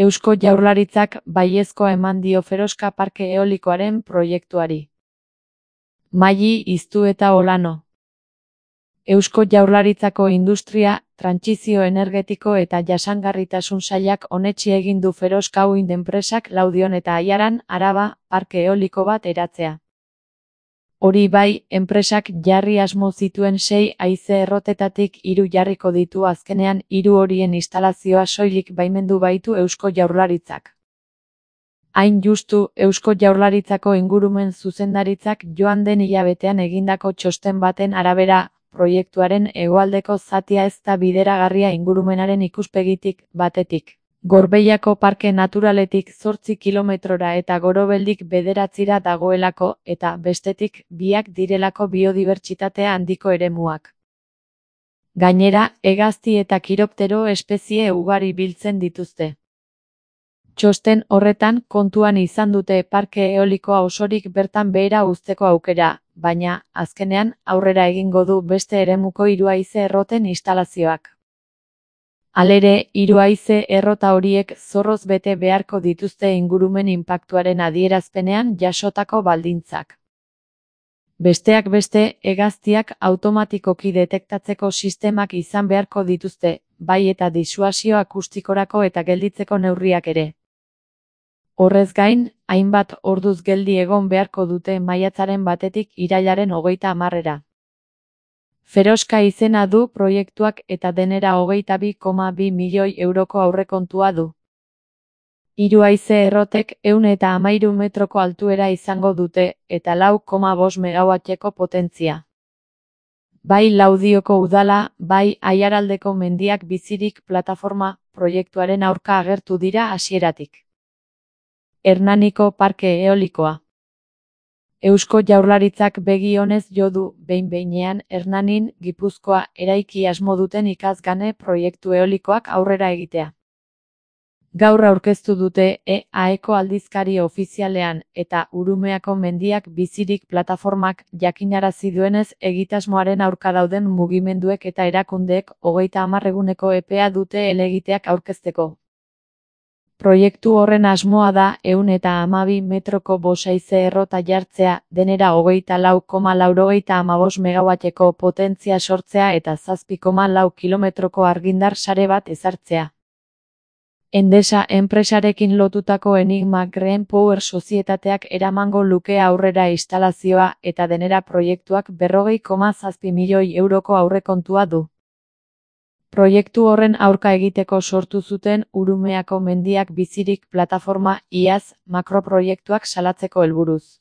Eusko Jaurlaritzak baiezkoa eman dio Feroska parke eolikoaren proiektuari. Maili Iztu eta Olano. Eusko Jaurlaritzako Industria, Trantsizio Energetiko eta Jasangarritasun Sailak onetsi egin du Feroska Wind enpresak Laudion eta Aiaran, Araba, parke eoliko bat eratzea. Hori bai, enpresak jarri asmo zituen 6 haize errotetatik 3 jarriko ditu azkenean 3 horien instalazioa soilik baimendu baitu Eusko Jaurlaritzak. Hain justu, Eusko Jaurlaritzako ingurumen zuzendaritzak joan den hilabetean egindako txosten baten arabera, proiektuaren hegoaldeko zatia ez da bideragarria ingurumenaren ikuspegitik, batetik. Gorbeiako parke naturaletik 8 kilometrora eta Gorobeldik 9 dagoelako eta bestetik biak direlako biodibertsitatea handiko eremuak. Gainera, hegazti eta kiroptero espezie ugari biltzen dituzte. Txosten horretan kontuan izan dute parke eolikoa osorik bertan behera uzteko aukera, baina, azkenean, aurrera egingo du beste eremuko 3 haize erroten instalazioak. Halere, 3 haize errota horiek zorroz bete beharko dituzte ingurumen inpaktuaren adierazpenean jasotako baldintzak. Besteak beste, hegaztiak automatikoki detektatzeko sistemak izan beharko dituzte, bai eta disuasio akustikorako eta gelditzeko neurriak ere. Horrez gain, hainbat orduz geldi egon beharko dute maiatzaren 1-tik irailaren 30-era. Feroska izena du proiektuak eta denera 22,2 milioi euroko aurrekontua du. 3 haize errotek 113 metroko altuera izango dute eta 4,5 megawatteko potentzia. Bai Laudioko udala, bai Aiaraldeko mendiak bizirik plataforma proiektuaren aurka agertu dira hasieratik. Hernaniko parke eolikoa. Eusko Jaurlaritzak begi onez jo du behin-behinean Hernanin, Gipuzkoa eraiki asmo duten ikasgane proiektu eolikoak aurrera egitea. Gaur aurkeztu dute EAEko aldizkari ofizialean eta Urumeako mendiak bizirik plataformak jakinarazi duenez egitasmoaren aurka dauden mugimenduek eta erakundeek 30 eguneko epea dute helegiteak aurkezteko. Proiektu horren asmoa da 112 metroko 5 haize errota jartzea, denera 24,95 megawatteko potentzia sortzea eta 7,4 kilometroko argindar sare bat ezartzea. Endesa enpresarekin lotutako Enigma Green Power sozietateak eramango luke aurrera instalazioa eta denera proiektuak 40,7 milioi euroko aurrekontua du. Proiektu horren aurka egiteko sortu zuten Urumeako mendiak bizirik plataforma iaz makroproiektuak salatzeko helburuz.